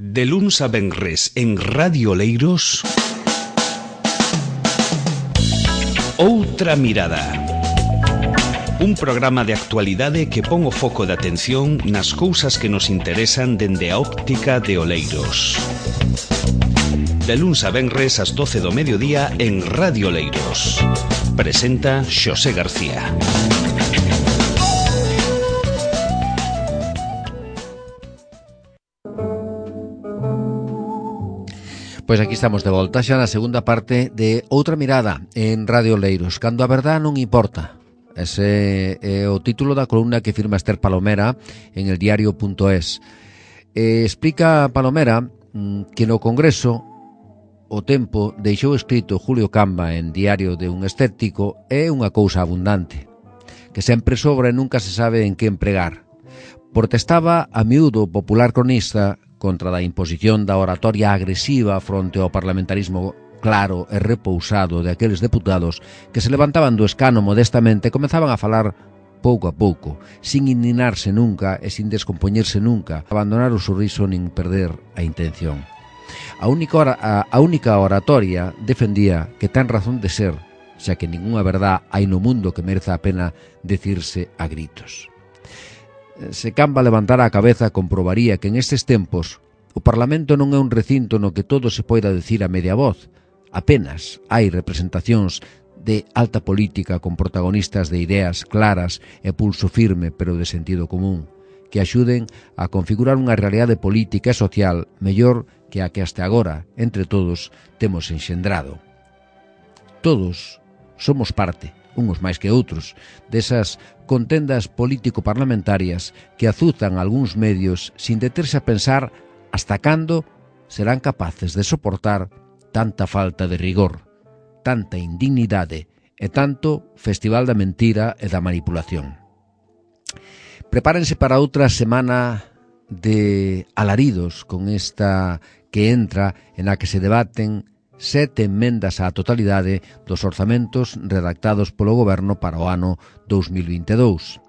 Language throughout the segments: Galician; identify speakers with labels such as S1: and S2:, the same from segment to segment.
S1: De luns a venres en Radio Oleiros, Outra Mirada. Un programa de actualidade que pon o foco de atención nas cousas que nos interesan dende a óptica de Oleiros. De luns a venres ás 12 do mediodía en Radio Oleiros. Presenta Xosé García.
S2: Pois aquí estamos de volta xa na segunda parte de Outra Mirada en Radio Oleiros, cando a verdad non importa. Ese é o título da columna que firma Esther Palomera en el diario.es. Explica Palomera que no Congreso o tempo deixou escrito Julio Camba en Diario de un Escéptico é unha cousa abundante, que sempre sobra e nunca se sabe en que empregar. Protestaba a miúdo o popular cronista contra da imposición da oratoria agresiva fronte ao parlamentarismo claro e repousado de aqueles deputados que se levantaban do escano modestamente e comezaban a falar pouco a pouco, sin indignarse nunca e sin descompoñerse nunca, abandonar o sorriso nin perder a intención. A única oratoria defendía que ten razón de ser, xa que ningunha verdad hai no mundo que mereza a pena decirse a gritos. Se Camba levantara a cabeza comprobaría que en estes tempos o Parlamento non é un recinto no que todo se poida decir a media voz. Apenas hai representacións de alta política con protagonistas de ideas claras e pulso firme pero de sentido común, que axuden a configurar unha realidade política e social mellor que a que hasta agora, entre todos, temos enxendrado. Todos somos parte, uns máis que outros, desas contendas político-parlamentarias que azuzan algúns medios sin deterse a pensar hasta cando serán capaces de soportar tanta falta de rigor, tanta indignidade e tanto festival da mentira e da manipulación. Prepárense para outra semana de alaridos con esta que entra en a que se debaten 7 emendas á totalidade dos orzamentos redactados polo Goberno para o ano 2022.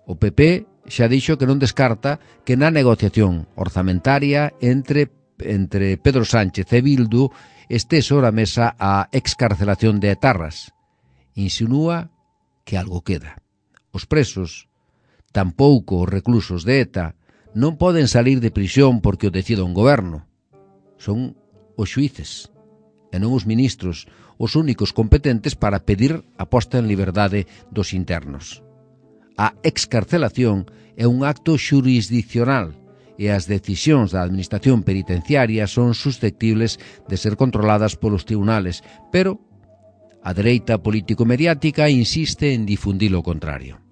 S2: O PP xa dixo que non descarta que na negociación orzamentaria entre Pedro Sánchez e Bildu este sobre a mesa a excarcelación de etarras. Insinúa que algo queda. Os presos, tampouco os reclusos de ETA, non poden salir de prisión porque o decida un goberno. Son os xuíces e non os ministros os únicos competentes para pedir a posta en liberdade dos internos. A excarcelación é un acto xurisdiccional e as decisións da administración penitenciaria son susceptibles de ser controladas polos tribunales, pero a dereita político-mediática insiste en difundir o contrario.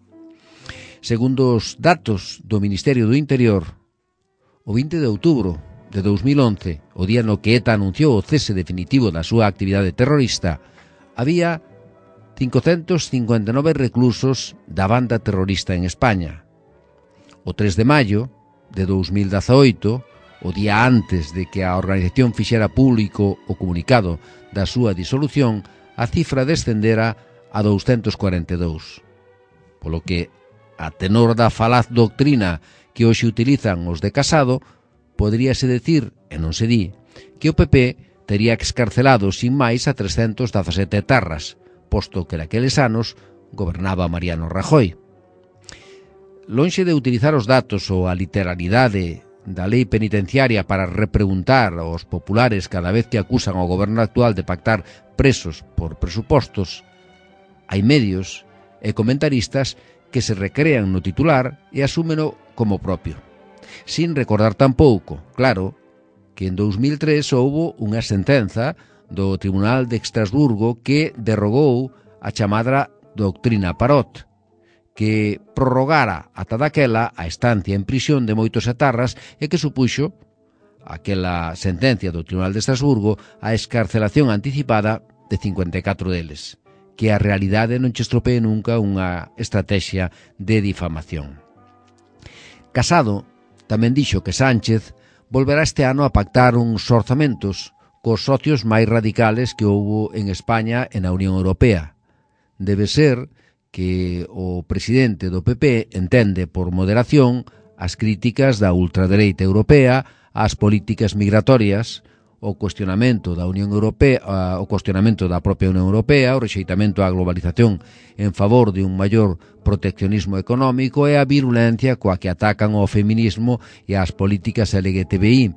S2: Segundo os datos do Ministerio do Interior, o 20 de outubro de 2011, o día no que ETA anunciou o cese definitivo da súa actividade terrorista, había 559 reclusos da banda terrorista en España. O 3 de maio de 2018, o día antes de que a organización fixera público o comunicado da súa disolución, a cifra descendera a 242. Polo que, a tenor da falaz doctrina que hoxe utilizan os de Casado, poderíase decir, e non se di, que o PP tería excarcelado sin máis a 317 etarras, posto que naqueles anos gobernaba Mariano Rajoy. Lonxe de utilizar os datos ou a literalidade da lei penitenciaria para repreguntar aos populares cada vez que acusan ao goberno actual de pactar presos por presupostos, hai medios e comentaristas que se recrean no titular e asúmeno como propio, sin recordar tampouco, claro, que en 2003 houbo unha sentenza do Tribunal de Estrasburgo que derrogou a chamada doctrina Parot, que prorrogara ata daquela a estancia en prisión de moitos etarras e que supuxo aquela sentencia do Tribunal de Estrasburgo a excarcelación anticipada de 54 deles, que a realidade non che estropee nunca unha estrategia de difamación. Casado tamén dixo que Sánchez volverá este ano a pactar uns orzamentos cos socios máis radicales que houbo en España e na Unión Europea. Debe ser que o presidente do PP entende por moderación as críticas da ultradereita europea ás políticas migratorias, o cuestionamento da Unión Europea, o cuestionamento da propia Unión Europea, o rexeitamento á globalización en favor de un maior proteccionismo económico e a virulencia coa que atacan ao feminismo e ás políticas LGTBI.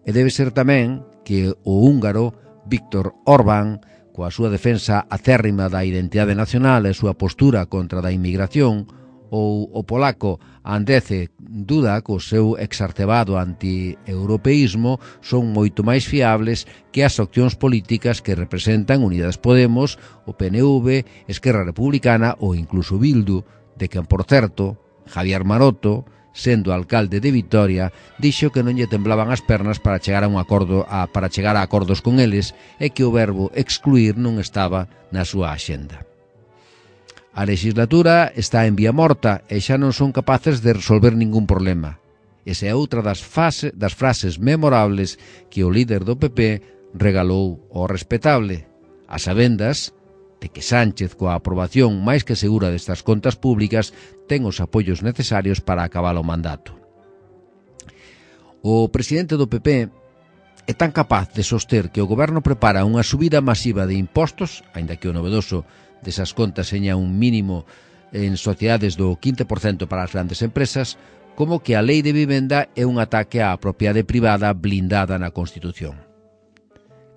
S2: E debe ser tamén que o húngaro Viktor Orbán, coa súa defensa acérrima da identidade nacional e a súa postura contra da inmigración, ou o polaco Andrzej Duda, co seu exacerbado anti-europeísmo, son moito máis fiables que as opcións políticas que representan Unidas Podemos, o PNV, Esquerra Republicana ou incluso Bildu, de quen, por certo, Javier Maroto, sendo alcalde de Vitoria, dixo que non lle temblaban as pernas para chegar a acordos con eles e que o verbo excluir non estaba na súa axenda. A legislatura está en vía morta e xa non son capaces de resolver ningún problema. Esa é outra das frases memorables que o líder do PP regalou ao respetable, a sabendas de que Sánchez, coa aprobación máis que segura destas contas públicas, ten os apoios necesarios para acabar o mandato. O presidente do PP é tan capaz de soster que o goberno prepara unha subida masiva de impostos, aínda que o novedoso desas contas seña un mínimo en sociedades do 15% para as grandes empresas, como que a lei de vivenda é un ataque á propiedade privada blindada na Constitución.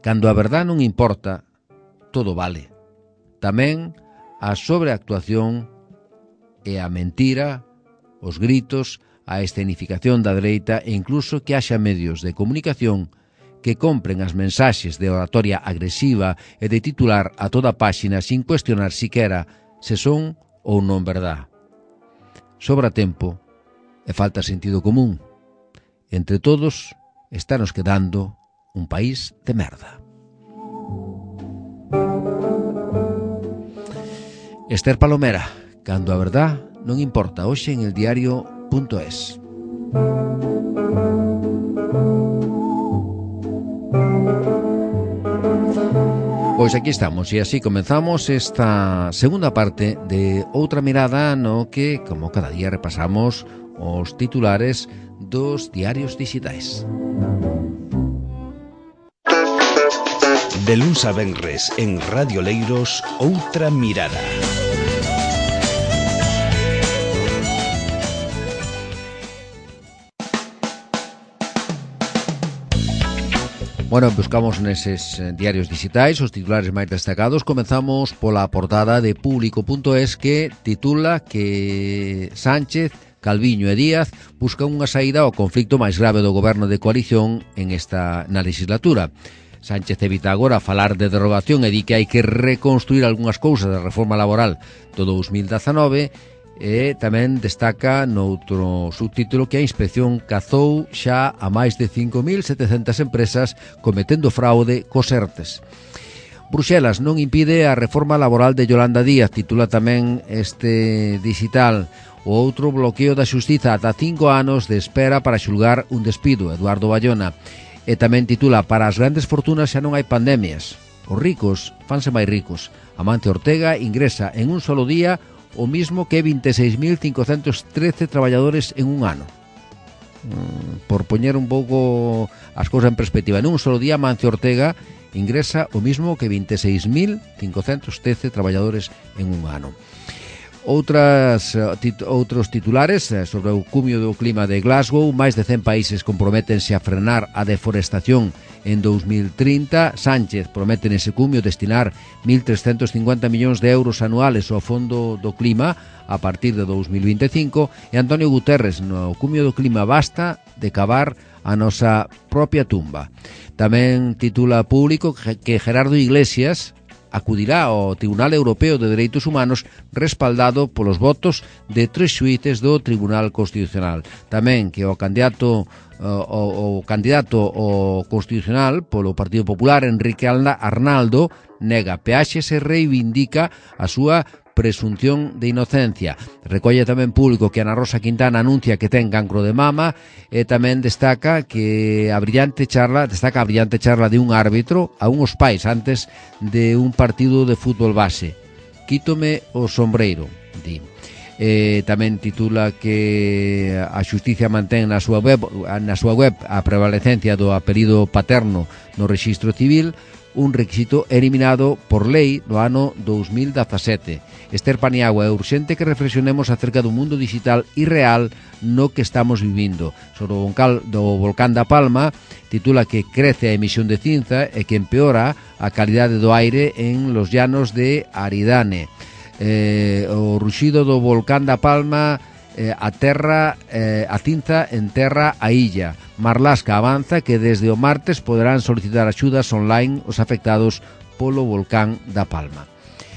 S2: Cando a verdad non importa, todo vale. Tamén a sobreactuación e a mentira, os gritos, a escenificación da dereita e incluso que haxa medios de comunicación que compren as mensaxes de oratoria agresiva e de titular a toda páxina sin cuestionar siquera se son ou non verdad. Sobra tempo e falta sentido común. Entre todos, estános quedando un país de merda. Esther Palomera, cando a verdad non importa, hoxe en el diario.es. Pois aquí estamos e así comenzamos esta segunda parte de Outra Mirada, no que, como cada día, repasamos os titulares dos diarios digitais.
S1: De luns a venres en Radio Leiros, Outra Mirada.
S2: Bueno, buscamos neses diarios digitais os titulares máis destacados. Comenzamos pola portada de Público.es, que titula que Sánchez, Calviño e Díaz buscan unha saída ao conflicto máis grave do goberno de coalición na legislatura. Sánchez evita agora falar de derogación e di que hai que reconstruir algunhas cousas da reforma laboral do 2019. E tamén destaca noutro subtítulo que a inspección cazou xa a máis de 5.700 empresas cometendo fraude cos ERTES. Bruxelas non impide a reforma laboral de Yolanda Díaz, titula tamén este digital. O outro bloqueo da xustiza, ata 5 anos de espera para xulgar un despido, Eduardo Bayona. E tamén titula, para as grandes fortunas xa non hai pandemias. Os ricos fanse máis ricos. Amancio Ortega ingresa en un solo día o mismo que 26.513 traballadores en un ano. Por poñer un pouco as cousas en perspectiva, en un solo día Amancio Ortega ingresa o mismo que 26.513 traballadores en un ano. Outros titulares sobre o cumio do clima de Glasgow. Máis de 100 países comprométense a frenar a deforestación en 2030. Sánchez promete nese cumio destinar 1.350 millóns de euros anuales ao Fondo do Clima a partir de 2025. E Antonio Guterres, no cumio do clima, basta de cavar a nosa propia tumba. Tamén titula Público que Gerardo Iglesias acudirá ao Tribunal Europeo de Dereitos Humanos respaldado polos votos de 3 xuíces do Tribunal Constitucional. Tamén que o candidato ao Constitucional polo Partido Popular, Enrique Arnaldo, nega peaxes e reivindica a súa presunción de inocencia. Recolle tamén Público que Ana Rosa Quintana anuncia que ten cancro de mama e tamén destaca a brillante charla de un árbitro a uns pais antes de un partido de fútbol base. Quítome o sombreiro, di. Tamén titula que a xustiza mantén na súa web a prevalecencia do apelido paterno no rexistro civil, un requisito eliminado por lei no ano 2017. Esther Paniagua, é urxente que reflexionemos acerca do mundo digital irreal no que estamos vivindo. Sobre o volcán da Palma, titula que crece a emisión de cinza e que empeora a calidade do aire en los llanos de Aridane. O ruxido do volcán da Palma a cinza enterra a illa. Marlaska avanza que desde o martes poderán solicitar axudas online os afectados polo volcán da Palma.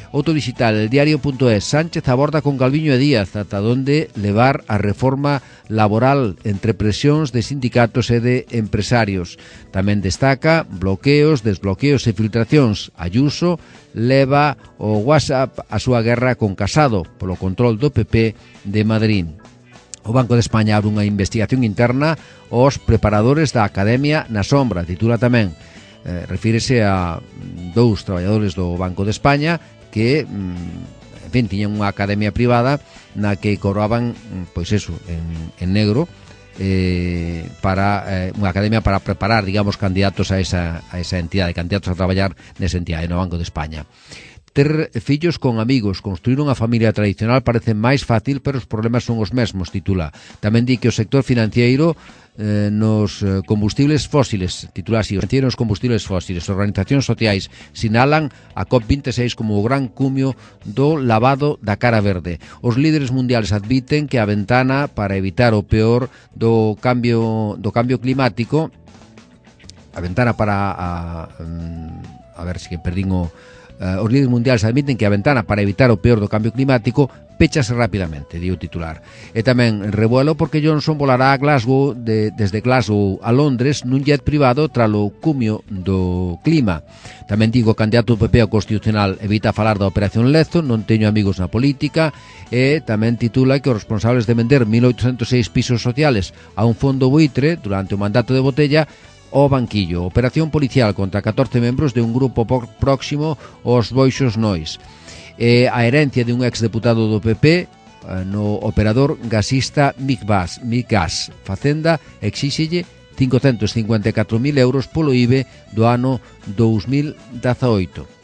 S2: Outro digital, el diario.es. Sánchez aborda con Calviño e Díaz ata onde levar a reforma laboral entre presións de sindicatos e de empresarios. Tamén destaca bloqueos, desbloqueos e filtracións. Ayuso leva o WhatsApp a súa guerra con Casado polo control do PP de Madrid. O Banco de España abre unha investigación interna aos preparadores da Academia na Sombra. Titula tamén, refírese a dous traballadores do Banco de España que, en fin, tiñan unha academia privada na que cobraban, pois eso, en negro, para unha academia para preparar, digamos, candidatos a esa entidade, candidatos a traballar nesa entidade, no Banco de España. Ter fillos con amigos, construir unha familia tradicional parece máis fácil, pero os problemas son os mesmos, titula. Tamén di que o sector financiero nos combustibles fósiles, titula así, os combustibles fósiles, organizacións sociais sinalan a COP26 como o gran cumio do lavado da cara verde. Os líderes mundiales admiten que a ventana para evitar o peor do cambio climático, a ventana para a ver se perdín o os líderes mundiales admiten que a ventana para evitar o peor do cambio climático péchase rapidamente, di o titular. E tamén revuelo porque Johnson volará a Glasgow desde Glasgow a Londres nun jet privado tralo cumio do clima. Tamén digo, o candidato do PP ao Constitucional evita falar da Operación Lezo, non teño amigos na política, e tamén titula que os responsables de vender 1.806 pisos sociales a un fondo buitre durante o mandato de Botella o banquillo. Operación policial contra 14 membros de un grupo próximo aos Boixos Nois. A herencia de un exdeputado do PP no operador gasista Miggas. Facenda exíxelle 554.000 euros polo IBE do ano 2018.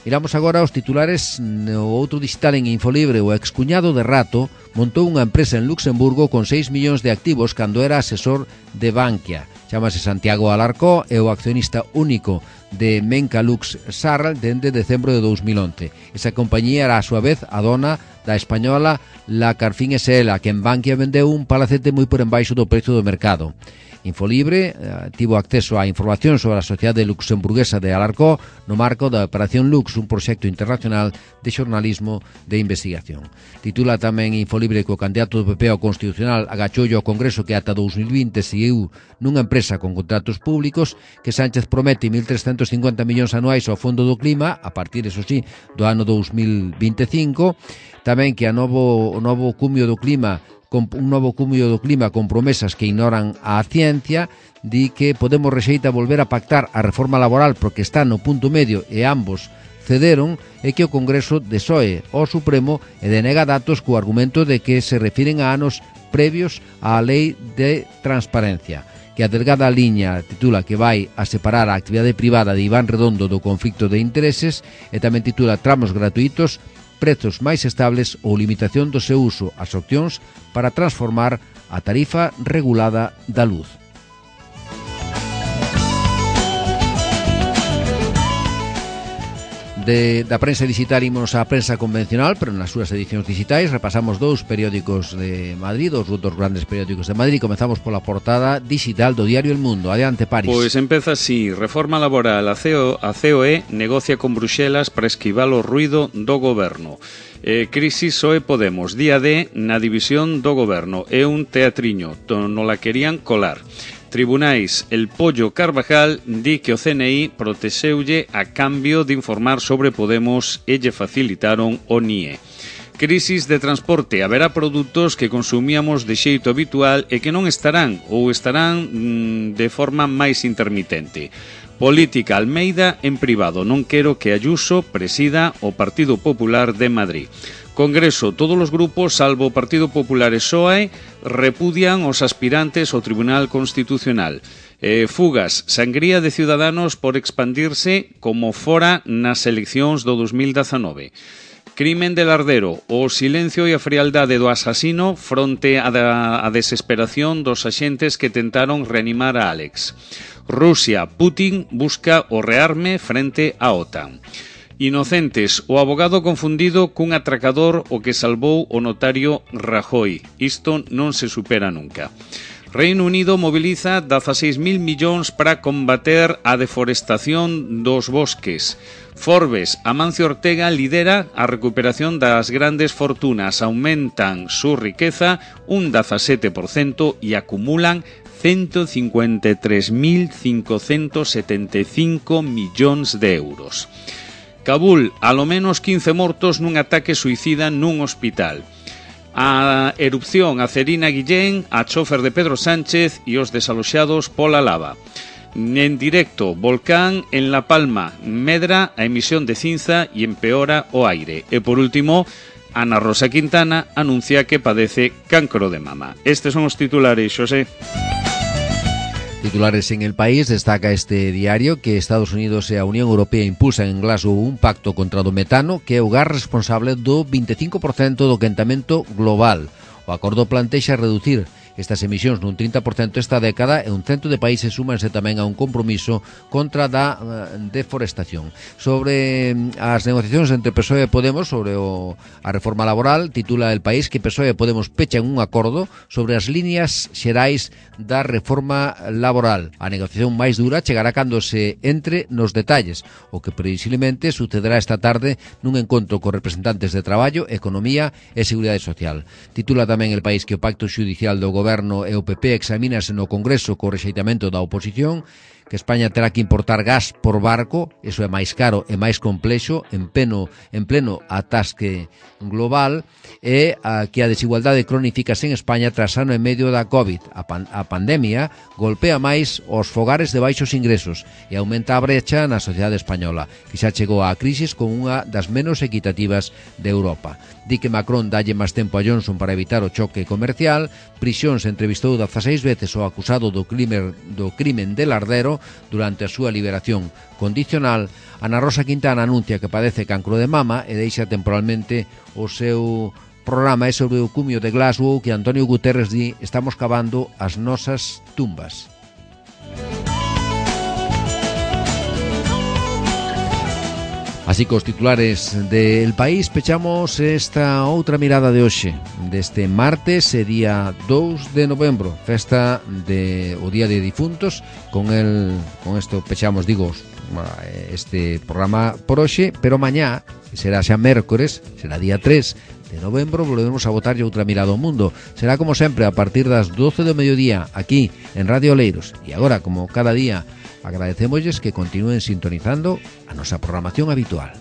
S2: Miramos agora os titulares no outro digital en Infolibre. O excuñado de Rato montou unha empresa en Luxemburgo con 6 millóns de activos cando era asesor de Bankia. Chámase Santiago Alarcó, é o accionista único de Mencalux Sarral dende decembro de 2011. Esa compañía era a súa vez a dona da española La Carfín SL, que en Bankia vendeu un palacete moi por embaixo do precio do mercado. Infolibre tivo acceso á información sobre a sociedade luxemburguesa de Alarcó no marco da Operación Lux, un proxecto internacional de xornalismo de investigación. Titula tamén Infolibre que o candidato do PP ao Constitucional agachoulle ao Congreso que ata 2020 seguiu nunha empresa con contratos públicos, que Sánchez promete 1.350 millóns anuais ao Fondo do Clima a partir, eso sí, do ano 2025. Tamén que o novo cumio do clima con promesas que ignoran a ciencia. Di que Podemos rexeita volver a pactar a reforma laboral porque está no punto medio e ambos cederon, e que o Congreso desoe ao Supremo e denega datos co argumento de que se refiren a anos previos á lei de transparencia. Que a delgada liña, titula, que vai a separar a actividade privada de Iván Redondo do conflicto de intereses, e tamén titula Tramos gratuitos, prezos máis estables ou limitación do seu uso, as opcións para transformar a tarifa regulada da luz. Da prensa digital imos á prensa convencional, pero nas súas edicións digitais repasamos dous periódicos de Madrid, dos grandes periódicos de Madrid. Comezamos pola portada digital do diario El Mundo. Adiante, Paris.
S1: Pois empeza así: reforma laboral, a COE negocia con Bruxelas para esquivar o ruido do goberno. Crisis PSOE Podemos, día D na división do goberno. É un teatriño, non la querían colar. Tribunais, el Pollo Carvajal di que o CNI protexeulle a cambio de informar sobre Podemos e lle facilitaron o NIE. Crisis de transporte, haberá produtos que consumíamos de xeito habitual e que non estarán ou estarán de forma máis intermitente. Política, Almeida en privado, non quero que Ayuso presida o Partido Popular de Madrid. Congreso, todos os grupos, salvo o Partido Popular e PSOE, repudian os aspirantes ao Tribunal Constitucional. Fugas, sangría de Ciudadanos por expandirse como fora nas eleccións do 2019. Crimen de Lardero, o silencio e a frialdade do asasino fronte á desesperación dos axentes que tentaron reanimar a Alex. Rusia, Putin busca o rearme frente á OTAN. Inocentes, o abogado confundido cun atracador o que salvou o notario Rajoy. Isto non se supera nunca. Reino Unido moviliza 16.000 millóns para combater a deforestación dos bosques. Forbes, Amancio Ortega lidera a recuperación das grandes fortunas, aumentan su riqueza un 17% e acumulan 153.575 millóns de euros. Kabul, alo menos 15 mortos nun ataque suicida nun hospital. A erupción Acerina Guillén, a chofer de Pedro Sánchez e os desaloxados pola lava. En directo, volcán en La Palma, medra a emisión de cinza e empeora o aire. E por último, Ana Rosa Quintana anuncia que padece cancro de mama. Estes son os titulares, Xosé.
S2: Titulares en El País, destaca este diario que Estados Unidos e a Unión Europea impulsan en Glasgow un pacto contra o metano que é o gas responsable do 25% do quentamento global. O acordo plantexa reducir estas emisións nun 30% esta década e un cento de países súmanse tamén a un compromiso contra da deforestación. Sobre as negociacións entre PSOE e Podemos sobre a reforma laboral, titula El País que PSOE e Podemos pechan un acordo sobre as líneas xerais da reforma laboral. A negociación máis dura chegará cando se entre nos detalles, o que previsiblemente sucederá esta tarde nun encontro con representantes de Traballo, Economía e Seguridade Social. Titula tamén El País que o pacto xudicial do Goberno e o PP examínase no Congreso co rexeitamento da oposición, que España terá que importar gas por barco, eso é máis caro e máis complexo, en pleno atasque global, e que a desigualdade cronifícase en España tras ano e medio da COVID. A pandemia golpea máis os fogares de baixos ingresos e aumenta a brecha na sociedade española, que xa chegou á crisis con unha das menos equitativas de Europa. Di que Macron dalle máis tempo a Johnson para evitar o choque comercial. Prisións entrevistou 16 veces o acusado do crimen de Lardero durante a súa liberación condicional. Ana Rosa Quintana anuncia que padece cancro de mama e deixa temporalmente o seu programa é sobre o cumio de Glasgow, que Antonio Guterres di estamos cavando as nosas tumbas. Así que os titulares del País pechamos esta outra mirada de hoxe, deste martes, día 2 de novembro, festa o Día de Difuntos. Con isto pechamos, este programa por hoxe, pero mañá, que será xa mércores, será día 3 de novembro, volvemos a botarlle outra mirada ao mundo. Será como sempre a partir das 12 do mediodía, aquí en Radio Oleiros. E agora, como cada día, agradecémosles que continúen sintonizando a nosa programación habitual.